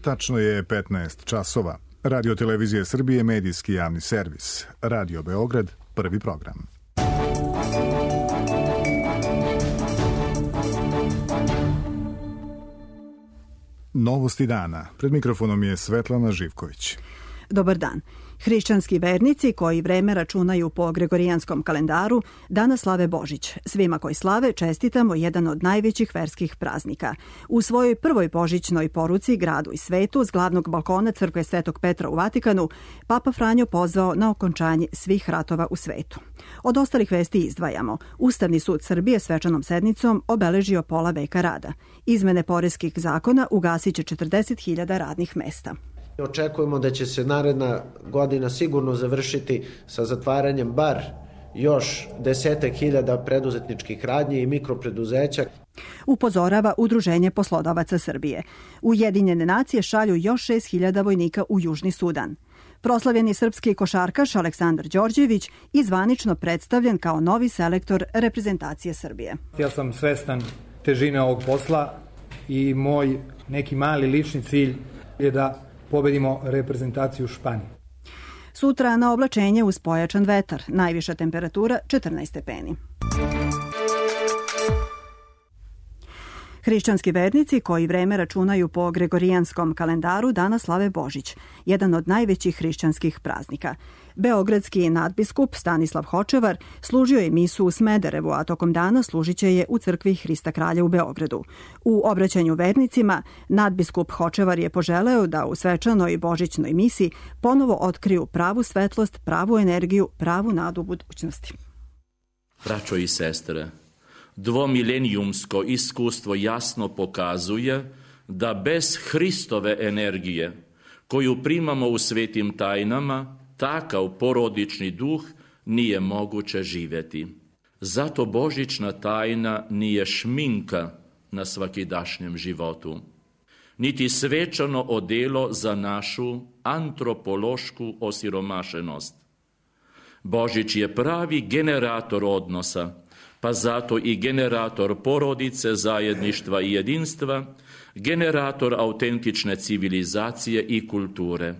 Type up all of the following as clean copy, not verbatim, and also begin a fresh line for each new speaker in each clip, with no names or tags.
Tačno je 15 časova. Radio Televizije Srbije, medijski javni servis. Radio Beograd, prvi program. Novosti dana. Pred mikrofonom je Svetlana Živković.
Dobar dan. Hrišćanski vernici koji vreme računaju po gregorijanskom kalendaru danas slave Božić. Svima koji slave čestitamo jedan od najvećih verskih praznika. U svojoj prvoj božićnoj poruci gradu i svetu s glavnog balkona crkve Svetog Petra u Vatikanu, Papa Franjo pozvao na okončanje svih ratova u svetu. Od ostalih vesti izdvajamo. Ustavni sud Srbije svečanom sednicom obeležio pola veka rada. Izmene poreskih zakona ugasit će 40.000 radnih mesta.
Očekujemo da će se naredna godina sigurno završiti sa zatvaranjem bar još 10.000 preduzetničkih radnji i mikropreduzeća.
Upozorava Udruženje poslodavaca Srbije. Ujedinjene nacije šalju još 6.000 vojnika u Južni Sudan. Proslavljeni srpski košarkaš Aleksandar Đorđević i zvanično predstavljen kao novi selektor reprezentacije Srbije.
Ja sam svestan težine ovog posla i moj neki mali lični cilj je da pobedimo reprezentaciju Španije.
Sutra na oblačenje uz pojačan vetar, najviša temperatura 14 stepeni. Hrišćanski vernici koji vreme računaju po gregorijanskom kalendaru danas slave Božić, jedan od najvećih hrišćanskih praznika. Beogradski nadbiskup Stanislav Hočevar služio je misu u Smederevu, a tokom dana služit će je u crkvi Hrista Kralja u Beogradu. U obraćanju vernicima nadbiskup Hočevar je poželeo da u svečanoj božićnoj misi ponovo otkriju pravu svetlost, pravu energiju, pravu nadu budućnosti.
Braćo i sestre, dvomilenijumsko iskustvo jasno pokazuje da bez Hristove energije, koju primamo u svetim tajnama, takav porodični duh nije moguće živjeti. Zato božićna tajna nije šminka na svakidašnjem životu, niti svečano odelo za našu antropološku osiromašenost. Božić je pravi generator odnosa, pa zato i generator porodice, zajedništva i jedinstva, generator autentične civilizacije i kulture.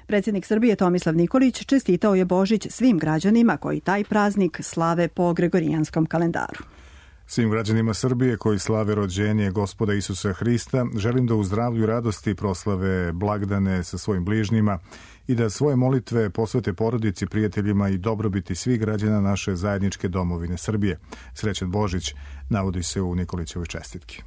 Predsjednik Srbije Tomislav Nikolić čestitao je Božić svim građanima koji taj praznik slave po gregorijanskom kalendaru.
Svim građanima Srbije koji slave rođenje Gospoda Isusa Hrista želim da u zdravlju i radosti proslave blagdane sa svojim bližnjima i da svoje molitve posvete porodici, prijateljima i dobrobiti svih građana naše zajedničke domovine Srbije. Srećan Božić, navodi se u Nikolićevoj čestitki.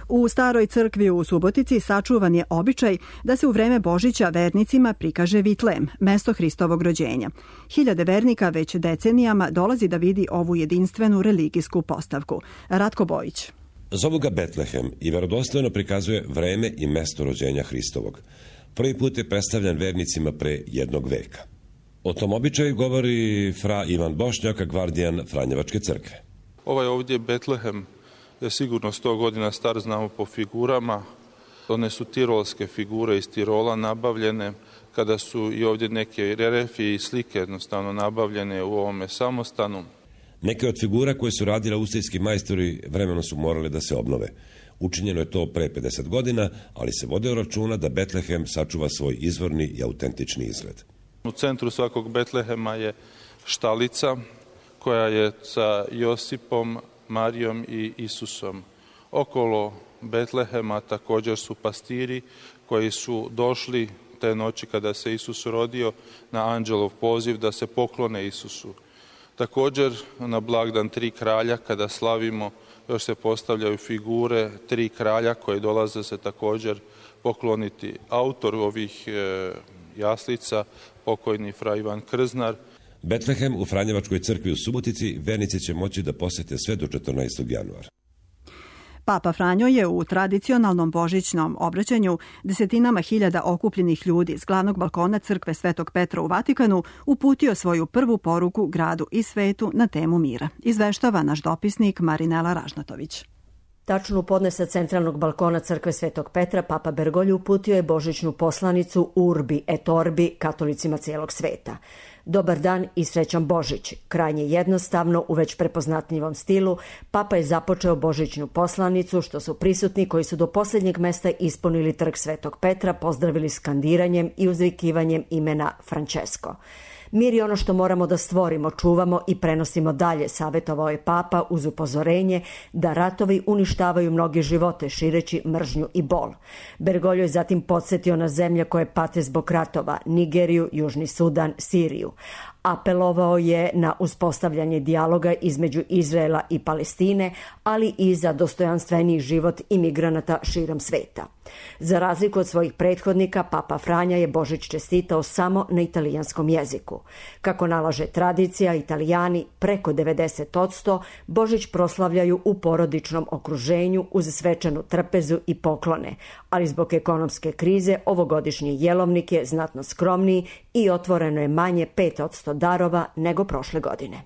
U staroj crkvi u Subotici sačuvan je običaj da se u vreme Božića vernicima prikaže Vitlem, mesto Hristovog rođenja. Hiljade vernika već decenijama dolazi da vidi ovu jedinstvenu religijsku postavku. Ratko Bojić.
Zovu ga Betlehem i verodostojno prikazuje vreme i mesto rođenja Hristovog. Prvi put je predstavljan vernicima pre jednog veka. O tom običaju govori fra Ivan Bošnjak, gvardijan Franjevačke crkve.
Ovaj ovdje Betlehem je sigurno 100 godina star, znamo po figurama. One su tirolske figure iz Tirola nabavljene, kada su i ovdje neke reljefije i slike jednostavno nabavljene u ovome samostanu.
Neke od figura koje su radili austrijski majstori vremenom su morale da se obnove. Učinjeno je to pre 50 godina, ali se vode računa da Betlehem sačuva svoj izvorni i autentični izgled.
U centru svakog Betlehema je štalica koja je sa Josipom, Marijom i Isusom. Okolo Betlehema također su pastiri koji su došli te noći kada se Isus rodio na anđelov poziv da se poklone Isusu. Također na blagdan Tri kralja kada slavimo još se postavljaju figure Tri kralja koje dolaze se također pokloniti. Autor ovih jaslica, pokojni fra Ivan Krznar.
Betlehem u Franjevačkoj crkvi u Subotici vernici će moći da posete sve do 14. januara.
Papa Franjo je u tradicionalnom božićnom obraćanju desetinama hiljada okupljenih ljudi s glavnog balkona crkve Svetog Petra u Vatikanu uputio svoju prvu poruku gradu i svetu na temu mira. Izveštava naš dopisnik Marinela Ražnatović.
Tačno u podne sa centralnog balkona crkve Svetog Petra Papa Bergoglio uputio je božićnu poslanicu Urbi et Orbi katolicima cijelog sveta. Dobar dan i srećan Božić. Krajnje jednostavno, u već prepoznatljivom stilu, Papa je započeo božićnu poslanicu, što su prisutni koji su do posljednjeg mesta ispunili trg Svetog Petra pozdravili skandiranjem i uzvikivanjem imena Francesco. Mir je ono što moramo da stvorimo, čuvamo i prenosimo dalje, savjetovao je Papa uz upozorenje da ratovi uništavaju mnoge živote, šireći mržnju i bol. Bergoglio je zatim podsjetio na zemlje koje pate zbog ratova, Nigeriju, Južni Sudan, Siriju. Apelovao je na uspostavljanje dijaloga između Izraela i Palestine, ali i za dostojanstveniji život imigranata širom sveta. Za razliku od svojih prethodnika, Papa Franja je Božić čestitao samo na italijanskom jeziku. Kako nalaže tradicija, Italijani preko 90% Božić proslavljaju u porodičnom okruženju uz svečanu trpezu i poklone, ali zbog ekonomske krize ovogodišnji jelovnik je znatno skromniji i otvoreno je manje 5% darova nego prošle godine.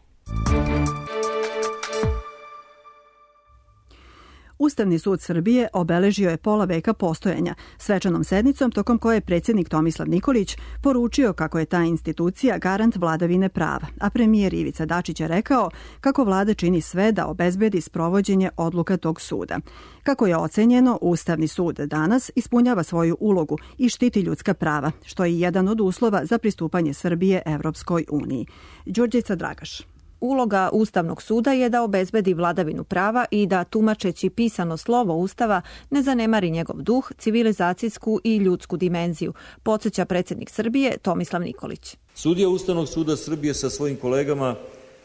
Ustavni sud Srbije obeležio je pola veka postojanja svečanom sednicom tokom koje je predsjednik Tomislav Nikolić poručio kako je ta institucija garant vladavine prava, a premijer Ivica Dačić je rekao kako vlada čini sve da obezbedi sprovođenje odluka tog suda. Kako je ocenjeno, Ustavni sud danas ispunjava svoju ulogu i štiti ljudska prava, što je jedan od uslova za pristupanje Srbije Evropskoj uniji. Đurđica Dragaš.
Uloga Ustavnog suda je da obezbedi vladavinu prava i da, tumačeći pisano slovo Ustava, ne zanemari njegov duh, civilizacijsku i ljudsku dimenziju, podsjeća predsjednik Srbije Tomislav Nikolić.
Sudija Ustavnog suda Srbije sa svojim kolegama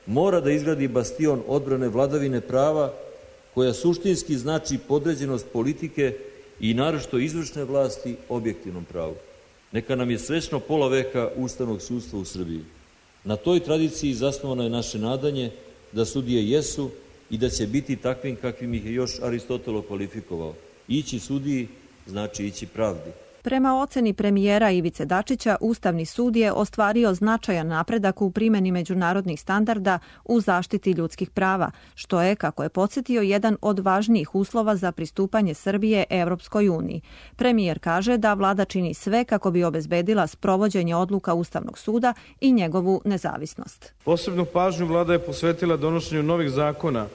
mora da izgradi bastion odbrane vladavine prava koja suštinski znači podređenost politike i naročito izvršne vlasti objektivnom pravu. Neka nam je srećno pola veka ustavnog sudstva u Srbiji. Na toj tradiciji zasnovano je naše nadanje da sudije jesu i da će biti takvim kakvim ih je još Aristotel kvalifikovao. Ići sudiji znači ići pravdi.
Prema oceni premijera Ivice Dačića, Ustavni sud je ostvario značajan napredak u primjeni međunarodnih standarda u zaštiti ljudskih prava, što je, kako je podsjetio, jedan od važnijih uslova za pristupanje Srbije Evropskoj uniji. Premijer kaže da vlada čini sve kako bi obezbedila sprovođenje odluka Ustavnog suda i njegovu nezavisnost.
Posebnu pažnju vlada je posvetila donošenju novih zakona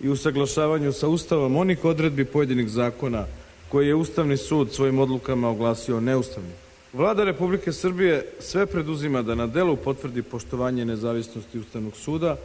i usaglašavanju sa Ustavom onih odredbi pojedinih zakona koji je Ustavni sud svojim odlukama oglasio neustavnim. Vlada Republike Srbije sve preduzima da na delu potvrdi poštovanje nezavisnosti Ustavnog suda,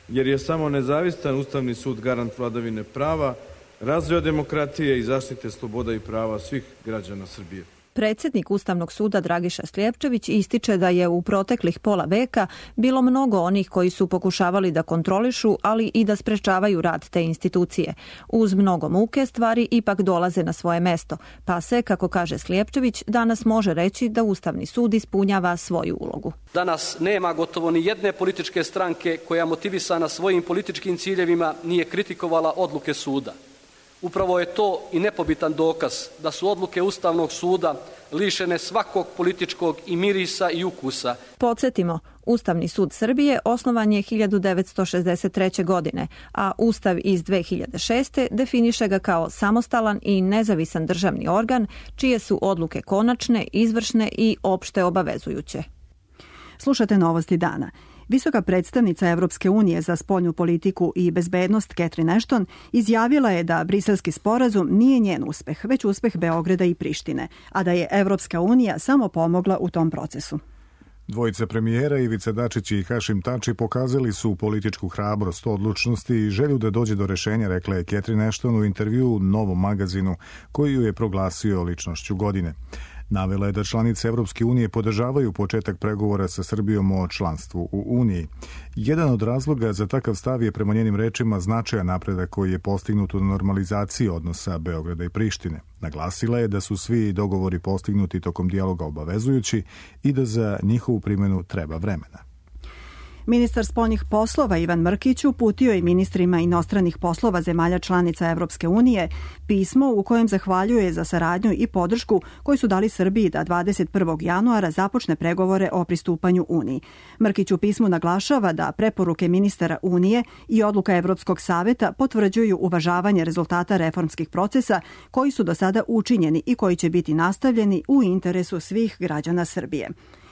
jer je samo nezavistan Ustavni sud garant vladavine prava, razvoja demokratije i zaštite sloboda i prava svih građana Srbije.
Predsjednik Ustavnog suda Dragiša Slijepčević ističe da je u proteklih pola veka bilo mnogo onih koji su pokušavali da kontrolišu, ali i da sprečavaju rad te institucije. Uz mnogo muke stvari ipak dolaze na svoje mesto, pa se, kako kaže Slijepčević, danas može reći da Ustavni sud ispunjava svoju ulogu.
Danas nema gotovo ni jedne političke stranke koja motivisana svojim političkim ciljevima nije kritikovala odluke suda. Upravo je to i nepobitan dokaz da su odluke Ustavnog suda lišene svakog političkog i mirisa i ukusa.
Podsjetimo, Ustavni sud Srbije osnovan je 1963. godine, a Ustav iz 2006. definiše ga kao samostalan i nezavisan državni organ, čije su odluke konačne, izvršne i opšte obavezujuće.
Slušate novosti dana. Visoka predstavnica Evropske unije za spoljnu politiku i bezbednost Catherine Ashton izjavila je da briselski sporazum nije njen uspeh, već uspeh Beograda i Prištine, a da je Evropska unija samo pomogla u tom procesu.
Dvojica premijera Ivica Dačić i Hašim Tači pokazali su političku hrabrost, odlučnost i želju da dođe do rešenja, rekla je Catherine Ashton u intervjuu Novom magazinu, koji ju je proglasio ličnošću godine. Navela je da članice Evropske unije podržavaju početak pregovora sa Srbijom o članstvu u Uniji. Jedan od razloga za takav stav je, prema njenim rečima, značajan napredak koji je postignut u normalizaciji odnosa Beograda i Prištine. Naglasila je da su svi dogovori postignuti tokom dijaloga obavezujući i da za njihovu primjenu treba vremena.
Ministar spoljnih poslova Ivan Mrkić uputio je ministrima inostranih poslova zemalja članica Evropske unije pismo u kojem zahvaljuje za saradnju i podršku koju su dali Srbiji da 21. januara započne pregovore o pristupanju Uniji. Mrkić u pismu naglašava da preporuke ministara Unije i odluka Evropskog saveta potvrđuju uvažavanje rezultata reformskih procesa koji su do sada učinjeni i koji će biti nastavljeni u interesu svih građana Srbije.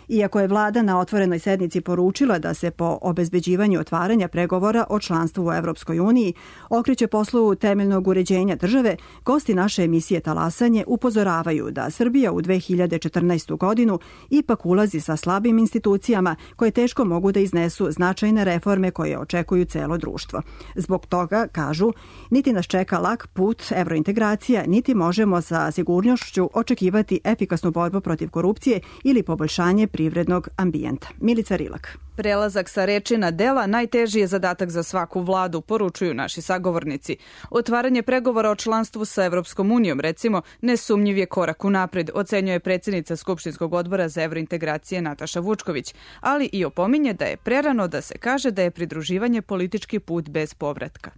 Iako je vlada na otvorenoj sednici poručila da se po obezbeđivanju otvaranja pregovora o članstvu u Evropskoj uniji okreće poslu temeljnog uređenja države, gosti naše emisije Talasanje upozoravaju da Srbija u 2014. godinu ipak ulazi sa slabim institucijama koje teško mogu da iznesu značajne reforme koje očekuju celo društvo. Zbog toga, kažu, niti nas čeka lak put evrointegracija, niti možemo sa sigurnošću očekivati efikasnu borbu protiv korupcije ili poboljšanje privrednog ambijenta. Milica Rilak.
Prelazak sa reči na dela najteži je zadatak za svaku vladu, poručuju naši sagovornici. Otvaranje pregovora o članstvu sa Evropskom unijom, recimo, nesumnjiv je korak unapred, ocenjuje predsjednica Skupštinskog odbora za evrointegracije Nataša Vučković, ali i opominje da je prerano da se kaže da je pridruživanje politički put bez povratka.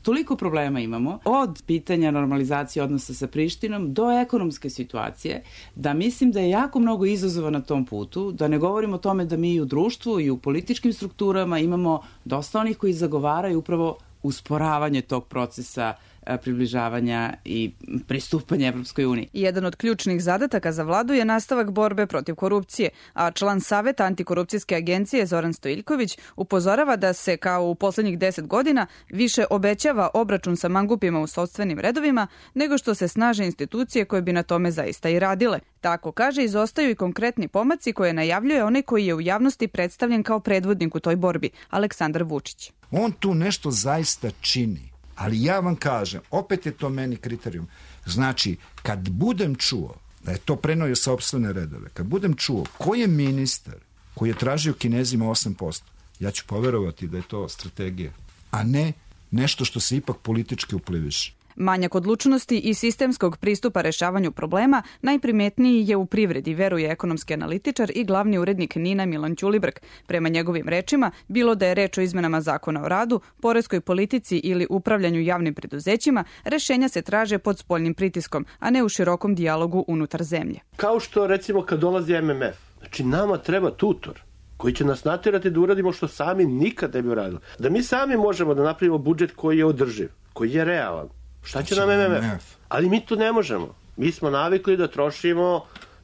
Toliko problema imamo, od pitanja normalizacije odnosa sa Prištinom do ekonomske situacije, da mislim da je jako mnogo izazova na tom putu, da ne govorimo o tome da mi i u društvu i u političkim strukturama imamo dosta onih koji zagovaraju upravo usporavanje tog procesa približavanja i pristupanja Evropskoj uniji.
Jedan od ključnih zadataka za vladu je nastavak borbe protiv korupcije, a član Saveta antikorupcijske agencije Zoran Stojiljković upozorava da se kao u poslednjih 10 godina više obećava obračun sa mangupima u sopstvenim redovima nego što se snaže institucije koje bi na tome zaista i radile. Tako kaže, izostaju i konkretni pomaci koje najavljuje onaj koji je u javnosti predstavljen kao predvodnik u toj borbi, Aleksandar Vučić.
On tu nešto zaista čini. Ali ja vam kažem, opet je to meni kriterijum. Znači, kad budem čuo da je to prenio sopstvene redove, kad budem čuo ko je ministar koji je tražio Kinezima 8%, ja ću poverovati da je to strategija, a ne nešto što se ipak politički upliviše.
Manjak odlučnosti i sistemskog pristupa rešavanju problema najprimetniji je u privredi, veruje ekonomski analitičar i glavni urednik NIN-a Milan Ćulibrk. Prema njegovim rečima, bilo da je reč o izmenama zakona o radu, poreskoj politici ili upravljanju javnim preduzećima, rešenja se traže pod spoljnim pritiskom, a ne u širokom dijalogu unutar zemlje.
Kao što recimo kad dolazi MMF, znači nama treba tutor koji će nas natjerati da uradimo što sami nikad ne bi uradili. Da mi sami možemo da napravimo budžet koji je održiv, koji je realan. Šta će nam MMF? Ali mi to ne možemo. Mi smo navikli da trošimo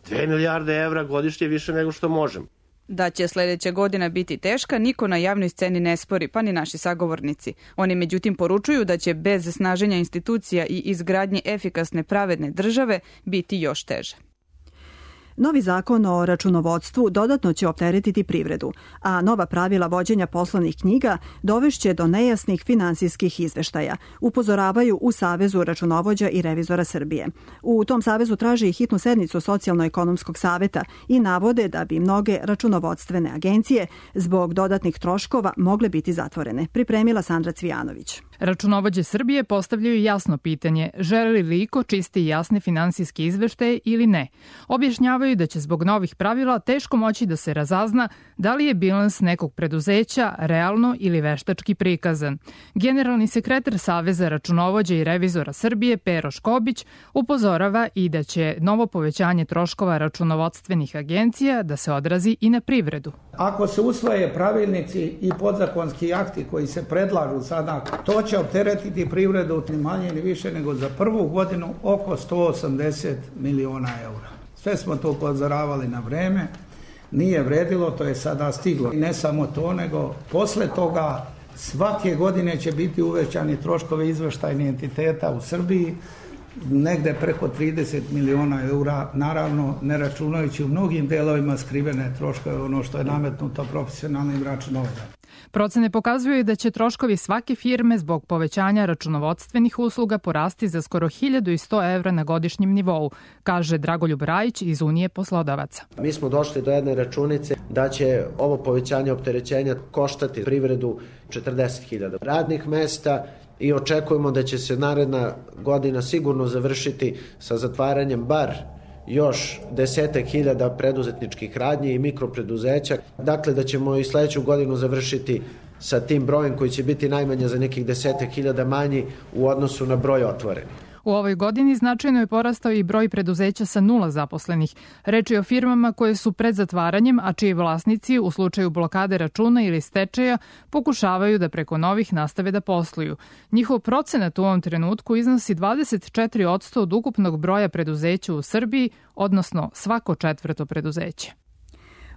2 milijarde evra godišnje više nego što možemo.
Da će sljedeća godina biti teška, niko na javnoj sceni ne spori, pa ni naši sagovornici. Oni međutim poručuju da će bez snaženja institucija i izgradnje efikasne pravedne države biti još teže.
Novi zakon o računovodstvu dodatno će opteretiti privredu, a nova pravila vođenja poslovnih knjiga dovešće do nejasnih finansijskih izveštaja, upozoravaju u Savezu računovođa i revizora Srbije. U tom savezu traže i hitnu sednicu Socijalno-ekonomskog saveta i navode da bi mnoge računovodstvene agencije zbog dodatnih troškova mogle biti zatvorene. Pripremila Sandra Cvijanović.
Računovođe Srbije postavljaju jasno pitanje, želi li iko čisti i jasne finansijske izveštaje ili ne. Objašnjavaju da će zbog novih pravila teško moći da se razazna da li je bilans nekog preduzeća realno ili veštački prikazan. Generalni sekretar Saveza računovođa i revizora Srbije Pero Škobić upozorava i da će novo povećanje troškova računovodstvenih agencija da se odrazi i na privredu.
Ako se usvoje pravilnici i podzakonski akti koji se predlažu sada, to će opteretiti privredu ni manje ni više nego za prvu godinu oko 180 miliona eura. Sve smo to upozoravali na vreme, nije vredilo, to je sada stiglo. I ne samo to, nego posle toga svake godine će biti uvećani troškovi izveštajnih entiteta u Srbiji, negde preko 30 miliona eura, naravno ne računajući u mnogim delovima skrivene troškove, ono što je nametnuto profesionalnim računovodama.
Procene pokazuju da će troškovi svake firme zbog povećanja računovodstvenih usluga porasti za skoro 1100 evra na godišnjem nivou, kaže Dragoljub Rajić iz Unije poslodavaca.
Mi smo došli do jedne računice da će ovo povećanje opterećenja koštati privredu 40.000 radnih mesta i očekujemo da će se naredna godina sigurno završiti sa zatvaranjem bar još 10.000 preduzetničkih radnji i mikropreduzeća. Dakle, da ćemo i sledeću godinu završiti sa tim brojem koji će biti najmanje za nekih 10.000 manji u odnosu na broj otvorenih.
U ovoj godini značajno je porastao i broj preduzeća sa 0 zaposlenih. Reč je o firmama koje su pred zatvaranjem, a čiji vlasnici u slučaju blokade računa ili stečaja pokušavaju da preko novih nastave da posluju. Njihov procenat u ovom trenutku iznosi 24% od ukupnog broja preduzeća u Srbiji, odnosno svako četvrto preduzeće.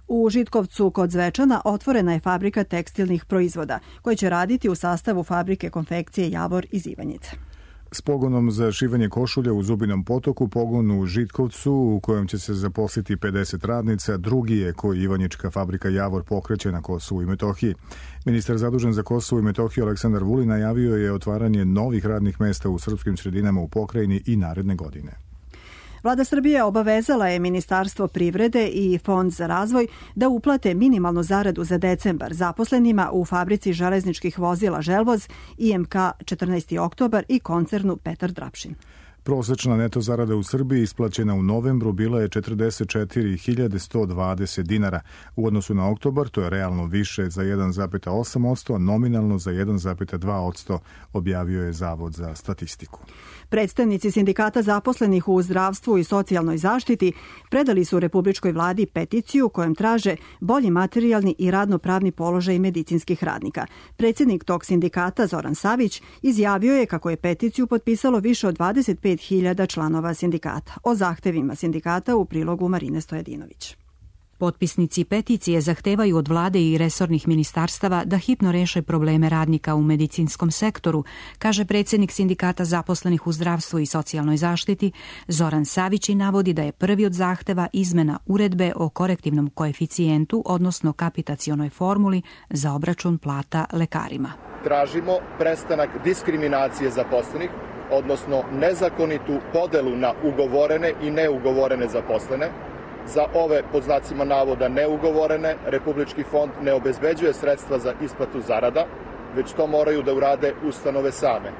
U Žitkovcu kod Zvečana otvorena je fabrika tekstilnih proizvoda koja će raditi u sastavu fabrike konfekcije Javor iz Ivanjice.
S pogonom za šivanje košulja u Zubinom Potoku, pogon u Žitkovcu u kojem će se zaposliti 50 radnica, drugi je koji ivanjička fabrika Javor pokreće na Kosovu i Metohiji. Ministar zadužen za Kosovo i Metohiju Aleksandar Vulin najavio je otvaranje novih radnih mesta u srpskim sredinama u pokrajini i naredne godine.
Vlada Srbije obavezala je Ministarstvo privrede i Fond za razvoj da uplate minimalnu zaradu za decembar zaposlenima u fabrici železničkih vozila Želvoz, IMK 14. oktobar i koncernu Petar Drapšin.
Prosečna neto zarada u Srbiji isplaćena u novembru bila je 44.120 dinara. U odnosu na oktobar to je realno više za 1,8%, a nominalno za 1,2%, objavio je Zavod za statistiku.
Predstavnici sindikata zaposlenih u zdravstvu i socijalnoj zaštiti predali su Republičkoj vladi peticiju kojom traže bolji materijalni i radnopravni položaj medicinskih radnika. Predsjednik tog sindikata Zoran Savić izjavio je kako je peticiju potpisalo više od 25.000 članova sindikata. O zahtevima sindikata u prilogu Marine Stojadinović.
Potpisnici peticije zahtevaju od vlade i resornih ministarstava da hitno reše probleme radnika u medicinskom sektoru, kaže predsjednik sindikata zaposlenih u zdravstvu i socijalnoj zaštiti Zoran Savić i navodi da je prvi od zahteva izmena uredbe o korektivnom koeficijentu, odnosno kapitacionoj formuli za obračun plata lekarima.
Tražimo prestanak diskriminacije zaposlenih, odnosno nezakonitu podelu na ugovorene i neugovorene zaposlene. Za ove, pod znacima navoda, neugovorene, Republički fond ne obezbeđuje sredstva za isplatu zarada, već to moraju da urade ustanove same.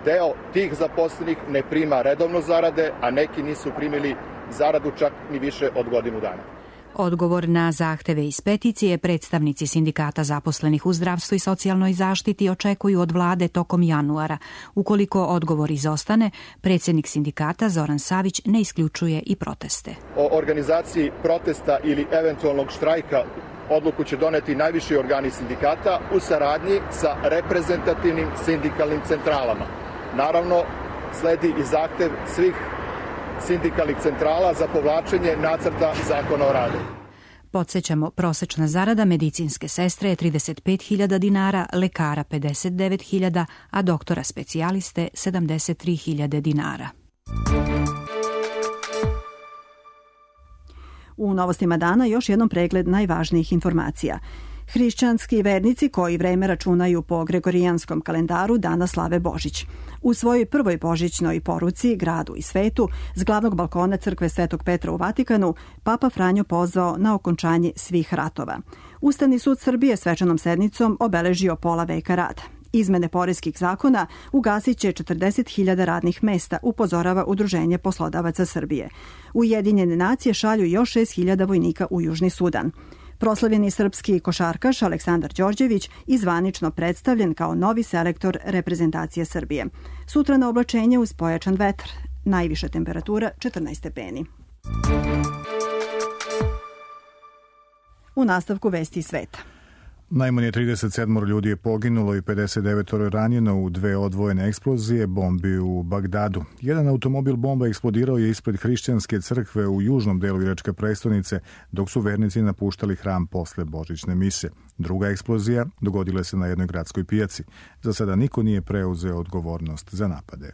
Deo tih zaposlenih ne prima redovno zarade, a neki nisu primili zaradu čak ni više od godinu dana.
Odgovor na zahteve iz peticije predstavnici sindikata zaposlenih u zdravstvu i socijalnoj zaštiti očekuju od vlade tokom januara. Ukoliko odgovor izostane, predsjednik sindikata Zoran Savić ne isključuje i proteste.
O organizaciji protesta ili eventualnog štrajka odluku će doneti najviši organi sindikata u saradnji sa reprezentativnim sindikalnim centralama. Naravno, sledi i zahtev svih sindikalnih centrala za povlačenje nacrta zakona o radu.
Podsjećamo, prosečna zarada medicinske sestre je 35.000 dinara, lekara 59.000, a doktora specijaliste 73.000 dinara.
U novostima dana još jednom pregled najvažnijih informacija. Hrišćanski vernici koji vreme računaju po gregorijanskom kalendaru danas slave Božić. U svojoj prvoj božićnoj poruci gradu i svetu s glavnog balkona crkve Svetog Petra u Vatikanu Papa Franjo pozvao na okončanje svih ratova. Ustavni sud Srbije svečanom sednicom obeležio pola veka rada. Izmene poreskih zakona ugasit će 40.000 radnih mesta, upozorava Udruženje poslodavaca Srbije. Ujedinjene nacije šalju još 6.000 vojnika u Južni Sudan. Proslavljeni srpski košarkaš Aleksandar Đorđević i zvanično predstavljen kao novi selektor reprezentacije Srbije. Sutra na oblačenje uz pojačan vetar. Najviša temperatura 14 stepeni. U nastavku vesti sveta.
Najmanje 37 ljudi je poginulo i 59 ranjeno u dve odvojene eksplozije bombi u Bagdadu. Jedan automobil bomba eksplodirao je ispred hrišćanske crkve u južnom delu iračke prestonice, dok su vernici napuštali hram posle božićne mise. Druga eksplozija dogodila se na jednoj gradskoj pijaci. Za sada niko nije preuzeo odgovornost za napade.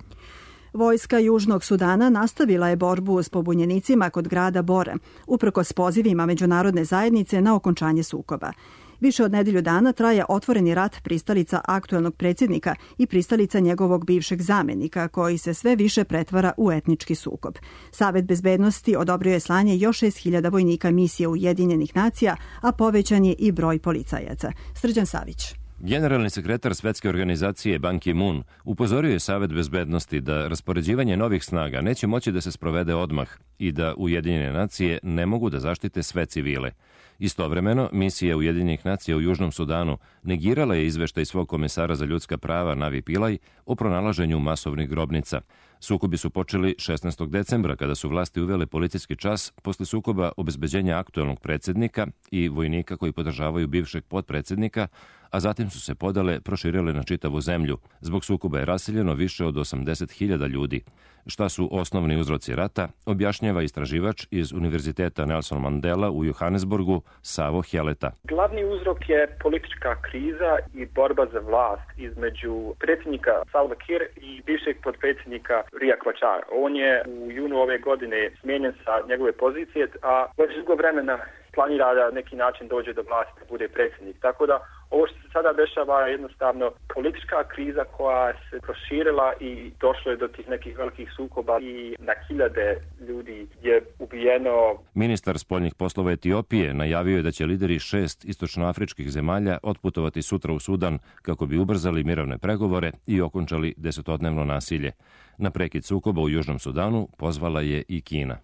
Vojska Južnog Sudana nastavila je borbu s pobunjenicima kod grada Bore, uprkos pozivima međunarodne zajednice na okončanje sukoba. Više od nedelju dana traje otvoreni rat pristalica aktuelnog predsjednika i pristalica njegovog bivšeg zamjenika, koji se sve više pretvara u etnički sukob. Savet bezbednosti odobrio je slanje još 6.000 vojnika misije Ujedinjenih nacija, a povećan je i broj policajaca. Srđan Savić.
Generalni sekretar Svetske organizacije Ban Ki-moon upozorio je Savet bezbednosti da raspoređivanje novih snaga neće moći da se sprovede odmah i da Ujedinjene nacije ne mogu da zaštite sve civile. Istovremeno, misija Ujedinjenih nacija u Južnom Sudanu negirala je izveštaj svog komesara za ljudska prava Navi Pillay o pronalaženju masovnih grobnica. Sukobi su počeli 16. decembra kada su vlasti uvele policijski čas posle sukoba obezbeđenja aktuelnog predsjednika i vojnika koji podržavaju bivšeg potpredsjednika, a zatim su se podale proširile na čitavu zemlju. Zbog sukoba je raseljeno više od 80.000 ljudi. Šta su osnovni uzroci rata, objašnjava istraživač iz Univerziteta Nelson Mandela u Johannesburgu, Savo Heleta.
Glavni uzrok je politička kriza i borba za vlast između predsjednika Salva Kiir i bivšeg potpredsjednika Riek Machar. On je u junu ove godine smijenjen sa njegove pozicije, a već dugo vremena planira da neki način dođe do vlasti, da bude predsjednik. Tako da ovo što se sada dešava je jednostavno politička kriza koja se proširila i došlo je do tih nekih velikih sukoba i na hiljade ljudi je ubijeno.
Ministar spoljnih poslova Etiopije najavio je da će lideri 6 istočnoafričkih zemalja otputovati sutra u Sudan kako bi ubrzali mirovne pregovore i okončali 10-dnevno nasilje. Na prekid sukoba u Južnom Sudanu pozvala je i Kina.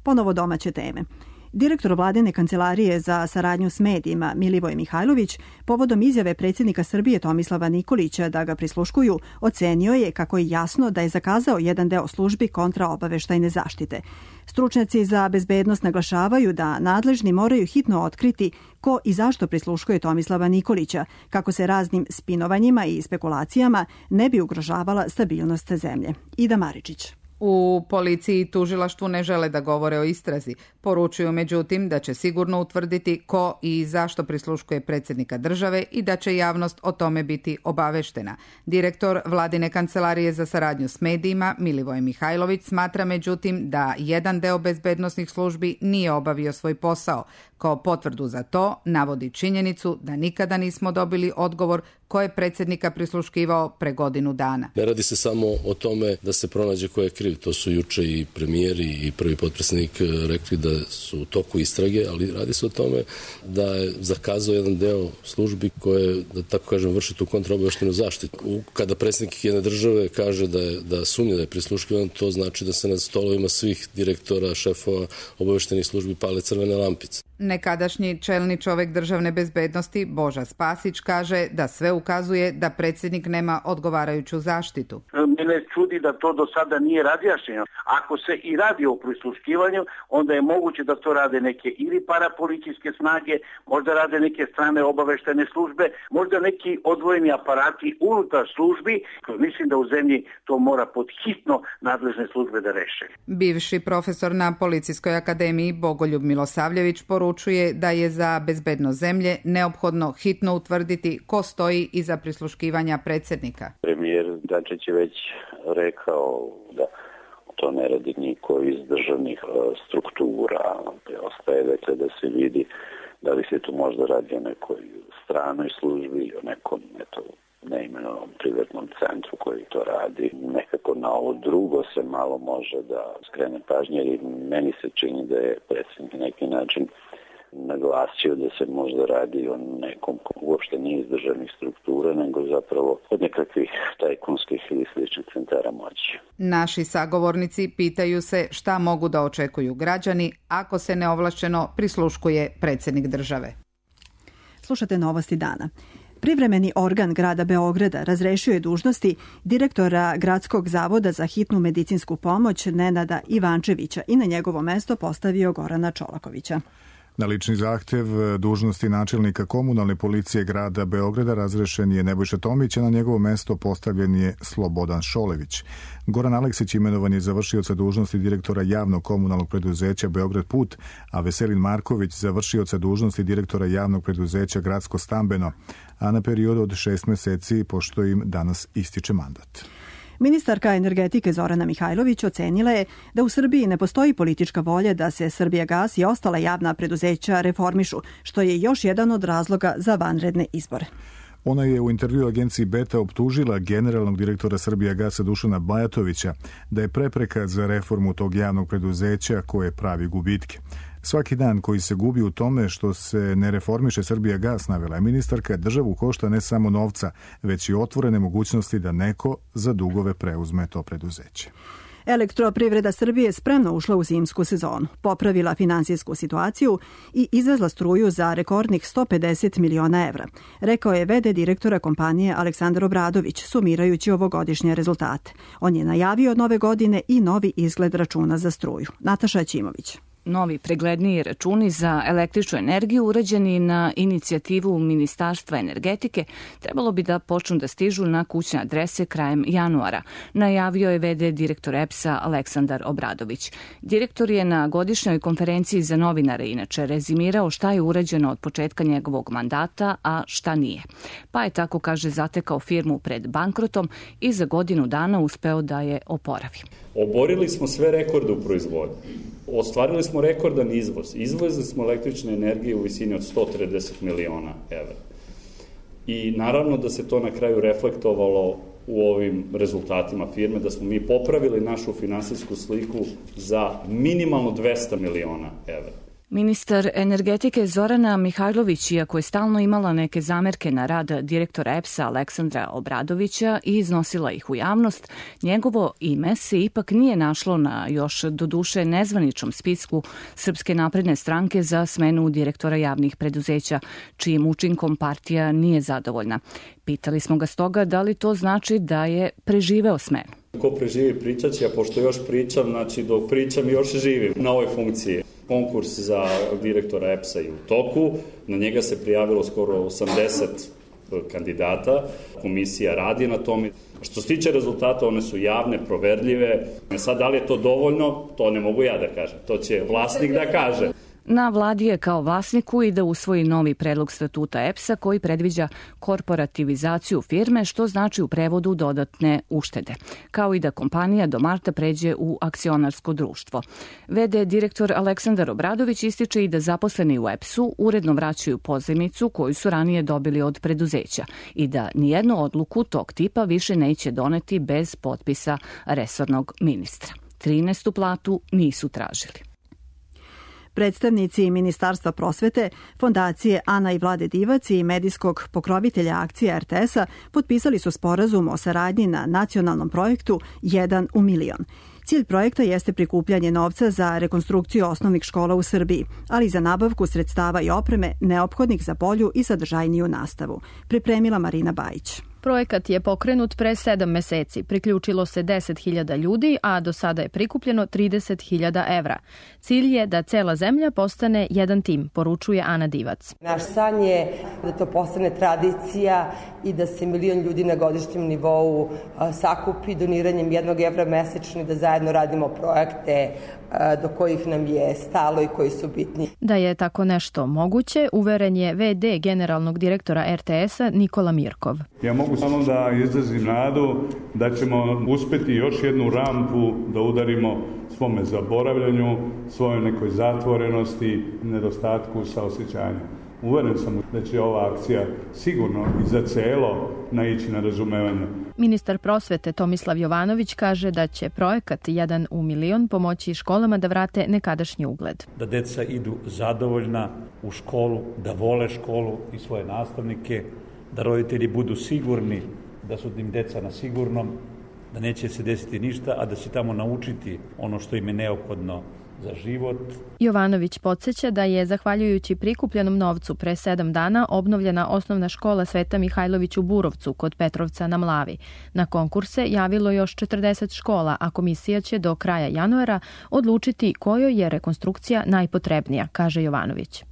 Ponovo domaće teme. Direktor Vladine kancelarije za saradnju s medijima Milivoj Mihajlović povodom izjave predsjednika Srbije Tomislava Nikolića da ga prisluškuju ocenio je kako je jasno da je zakazao jedan deo službi kontraobaveštajne zaštite. Stručnjaci za bezbednost naglašavaju da nadležni moraju hitno otkriti ko i zašto prisluškuje Tomislava Nikolića, kako se raznim spinovanjima i spekulacijama ne bi ugrožavala stabilnost zemlje. Ida Maričić.
U policiji i tužilaštvu ne žele da govore o istrazi. Poručuju međutim da će sigurno utvrditi ko i zašto prisluškuje predsjednika države i da će javnost o tome biti obaveštena. Direktor Vladine kancelarije za saradnju s medijima Milivoj Mihajlović smatra međutim da jedan deo bezbednosnih službi nije obavio svoj posao. Kao potvrdu za to navodi činjenicu da nikada nismo dobili odgovor ko je predsjednika prisluškivao pre godinu dana.
Ne radi se samo o tome da se pronađe ko je kriv. To su juče i premijer i prvi potpredsjednik rekli da su u toku istrage, ali radi se o tome da je zakazao jedan deo službi koje, da tako kažem, vrši tu kontraobaveštajnu zaštitu. Kada predsjednik jedne države kaže da sumnja da je prisluškivan, to znači da se na stolovima svih direktora, šefova obaveštajnih službi pale crvene lampice.
Nekadašnji čelni čovjek državne bezbednosti Boža Spasić kaže da sve ukazuje da predsjednik nema odgovarajuću zaštitu.
Mene čudi da to do sada nije razjašnjeno. Ako se i radi o prisluškivanju, onda je moguće da to rade neke ili parapolicijske snage, možda rade neke strane obaveštajne službe, možda neki odvojeni aparati unutar službi. Mislim da u zemlji to mora pod hitno nadležne službe da reše.
Bivši profesor na Policijskoj akademiji Bogoljub Milosavljević poručuje da je za bezbednost zemlje neophodno hitno utvrditi ko stoji iza prisluškivanja predsjednika.
Premijer Dačić je već rekao da to ne radi niko iz državnih struktura. Ostaje dakle da se vidi da li se tu možda radi o nekoj stranoj službi, o nekom neimenovanom privatnom centru koji to radi. Nekako na ovo drugo se malo može da skrene pažnje, jer meni se čini da je predsjednik na neki način naglasio da se možda radi o nekom ko uopšte nije iz državnih struktura, nego zapravo od nekakvih tajkunskih ili sličnih centara moći.
Naši sagovornici pitaju se šta mogu da očekuju građani ako se neovlašćeno prisluškuje predsjednik države.
Slušate Novosti dana. Privremeni organ grada Beograda razrešio je dužnosti direktora Gradskog zavoda za hitnu medicinsku pomoć Nenada Ivančevića i na njegovo mesto postavio Gorana Čolakovića.
Na lični zahtev dužnosti načelnika komunalne policije grada Beograda razrešen je Nebojša Tomić, a na njegovo mesto postavljen je Slobodan Šolević. Goran Aleksić imenovan je za vršioca dužnosti direktora javnog komunalnog preduzeća Beograd Put, a Veselin Marković za vršioca dužnosti direktora javnog preduzeća Gradsko stambeno, a na period od 6 meseci, pošto im danas ističe mandat.
Ministarka energetike Zorana Mihajlović ocenila je da u Srbiji ne postoji politička volja da se Srbijagas i ostala javna preduzeća reformišu, što je još jedan od razloga za vanredne izbore.
Ona je u intervju agenciji Beta optužila generalnog direktora Srbijagasa Dušana Bajatovića da je prepreka za reformu tog javnog preduzeća koje pravi gubitke. Svaki dan koji se gubi u tome što se ne reformiše Srbijagas, navela je ministarka, državu košta ne samo novca, već i otvorene mogućnosti da neko za dugove preuzme to preduzeće.
Elektroprivreda Srbije spremno ušla u zimsku sezonu, popravila finansijsku situaciju i izvezla struju za rekordnih 150 miliona evra, rekao je v.d. direktora kompanije Aleksandar Obradović, sumirajući ovogodišnje rezultate. On je najavio od nove godine i novi izgled računa za struju. Nataša Ćimović.
Novi pregledniji računi za električnu energiju urađeni na inicijativu Ministarstva energetike trebalo bi da počnu da stižu na kućne adrese krajem januara, najavio je v.d. direktor EPS-a Aleksandar Obradović. Direktor je na godišnjoj konferenciji za novinare inače rezimirao šta je urađeno od početka njegovog mandata, a šta nije. Pa je tako, kaže, zatekao firmu pred bankrotom i za godinu dana uspeo da je oporavi.
Oborili smo sve rekorde u proizvodnji. Ostvarili smo rekordan izvoz. Izvozili smo električne energije u visini od 130 miliona evra. I naravno da se to na kraju reflektovalo u ovim rezultatima firme, da smo mi popravili našu finansijsku sliku za minimalno 200 miliona evra.
Ministar energetike Zorana Mihajlović, iako je stalno imala neke zamerke na rad direktora EPS-a Aleksandra Obradovića i iznosila ih u javnost, njegovo ime se ipak nije našlo na još doduše nezvaničnom spisku Srpske napredne stranke za smenu direktora javnih preduzeća, čijim učinkom partija nije zadovoljna. Pitali smo ga stoga da li to znači da je preživeo smenu.
Ko preživi pričat će, a pošto još pričam, znači dok pričam još živim na ovoj funkciji. Konkurs za direktora EPS-a je u toku, na njega se prijavilo skoro 80 kandidata, komisija radi na tome. Što se tiče rezultata, one su javne, proverljive. Sad, da li je to dovoljno, to ne mogu ja da kažem, to će vlasnik da kaže.
Na vladi je kao vlasniku i da usvoji novi predlog statuta EPS-a koji predviđa korporativizaciju firme, što znači u prevodu dodatne uštede, kao i da kompanija do marta pređe u akcionarsko društvo. V.d. direktor Aleksandar Obradović ističe i da zaposleni u EPS-u uredno vraćaju pozajmicu koju su ranije dobili od preduzeća i da nijednu odluku tog tipa više neće doneti bez potpisa resornog ministra. 13. platu nisu tražili.
Predstavnici Ministarstva prosvete, Fondacije Ana i Vlade Divac i medijskog pokrovitelja akcije RTS-a potpisali su sporazum o saradnji na nacionalnom projektu 1 u milion. Cilj projekta jeste prikupljanje novca za rekonstrukciju osnovnih škola u Srbiji, ali i za nabavku sredstava i opreme neophodnih za bolju i sadržajniju nastavu. Pripremila Marina Bajić.
Projekat je pokrenut pre 7 meseci. Priključilo se 10.000 ljudi, a do sada je prikupljeno 30.000 evra. Cilj je da cela zemlja postane jedan tim, poručuje Ana Divac.
Naš san je da to postane tradicija i da se 1 milion ljudi na godišnjem nivou sakupi doniranjem 1 evra mesečno i da zajedno radimo projekte do kojih nam je stalo i koji su bitni.
Da je tako nešto moguće, uveren je v.d. generalnog direktora RTS-a Nikola Mirkov.
Ja mogu samo da izrazim nadu da ćemo uspeti još jednu rampu da udarimo svome zaboravljanju, svojoj nekoj zatvorenosti, nedostatku saosećanja. Uveren sam da će ova akcija sigurno i za celo naići na razumevanje.
Ministar prosvete Tomislav Jovanović kaže da će projekat 1 u milion pomoći školama da vrate nekadašnji ugled.
Da deca idu zadovoljna u školu, da vole školu i svoje nastavnike, da roditelji budu sigurni da su im deca na sigurnom, da neće se desiti ništa, a da će tamo naučiti ono što im je neophodno za život.
Jovanović podsjeća da je, zahvaljujući prikupljenom novcu, pre 7 dana obnovljena osnovna škola Sveta Mihajlović u Burovcu kod Petrovca na Mlavi. Na konkurse javilo još 40 škola, a komisija će do kraja januara odlučiti kojoj je rekonstrukcija najpotrebnija, kaže Jovanović.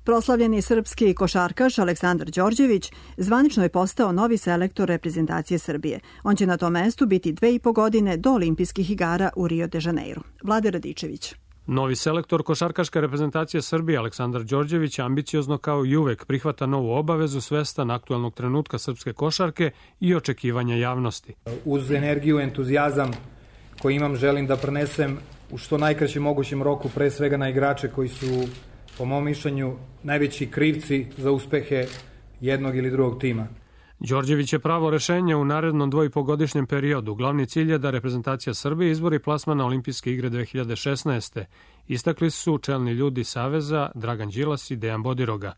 Proslavljeni srpski košarkaš Aleksandar Đorđević zvanično je postao novi selektor reprezentacije Srbije. On će na tom mestu biti 2,5 godine do olimpijskih igara u Rio de Janeiro. Vlade Radičević.
Novi selektor košarkaške reprezentacije Srbije Aleksandar Đorđević ambiciozno kao i uvek prihvata novu obavezu, svestan aktuelnog trenutka srpske košarke i očekivanja javnosti.
Uz energiju, entuzijazam koji imam, želim da prenesem u što najkraćem mogućem roku pre svega na igrače koji su, po mom mišljenju, najveći krivci za uspehe jednog ili drugog tima.
Đorđević je pravo rešenje u narednom 2,5-godišnjem periodu. Glavni cilj je da reprezentacija Srbije izbori plasman na olimpijske igre 2016. Istakli su čelni ljudi Saveza Dragan Đilas i Dejan Bodiroga.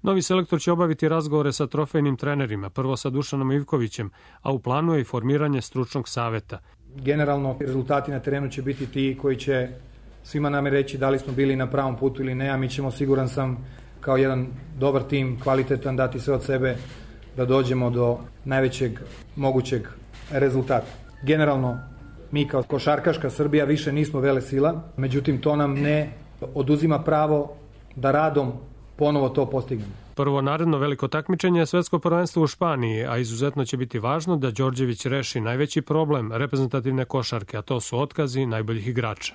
Novi selektor će obaviti razgovore sa trofejnim trenerima, prvo sa Dušanom Ivkovićem, a u planu je i formiranje stručnog saveta.
Generalno, rezultati na terenu će biti ti koji će svima nam reći da li smo bili na pravom putu ili ne, a mi ćemo, siguran sam, kao jedan dobar tim, kvalitetan, dati sve od sebe da dođemo do najvećeg mogućeg rezultata. Generalno, Mi kao košarkaška Srbija više nismo velesila, međutim to nam ne oduzima pravo da radom ponovo to postignemo.
Prvo naredno veliko takmičenje je svetsko prvenstvo u Španiji, a izuzetno će biti važno da Đorđević reši najveći problem reprezentativne košarke, a to su otkazi najboljih igrača.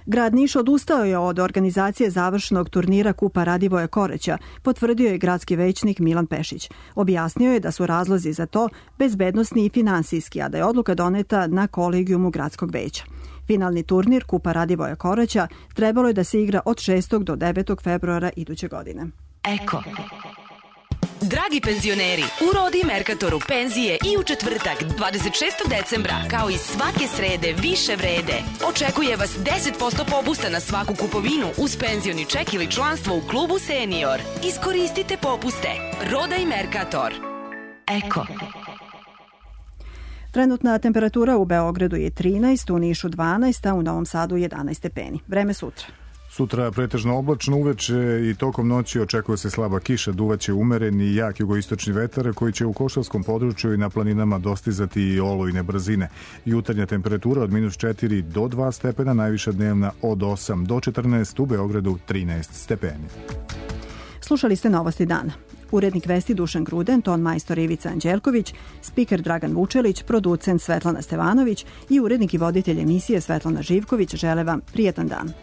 Grad Niš odustao je od organizacije završnog turnira Kupa Radivoja Koreća, potvrdio je gradski većnik Milan Pešić. Objasnio je da su razlozi za to bezbednosni i finansijski, a da je odluka doneta na kolegijumu gradskog veća. Finalni turnir Kupa Radivoja Koreća trebalo je da se igra od 6. do 9. februara iduće godine.
Eko. Dragi penzioneri, u Rodi Merkatoru penzije i u četvrtak 26. decembra, kao i svake srede više vrede. Očekuje vas 10% popusta na svaku kupovinu uz penzioni ček ili članstvo u klubu Senior. Iskoristite popuste. Roda i Merkator. Eko.
Trenutna temperatura u Beogradu je 13, u Nišu 12, a u Novom Sadu 11 stepeni. Vreme sutra.
Sutra pretežno oblačno, uveče i tokom noći očekuje se slaba kiša, duvaće umeren i jak jugoistočni vetar koji će u Košavskom području i na planinama dostizati i olujne brzine. Jutarnja temperatura od -4 do 2 stepena, najviša dnevna od 8 do 14, u Beogradu 13 stepeni.
Slušali ste Novosti dana. Urednik vesti Dušan Gruden, ton majstor Ivica Anđelković, spiker Dragan Vučelić, producent Svetlana Stevanović i urednik i voditelj emisije Svetlana Živković žele vam prijetan dan.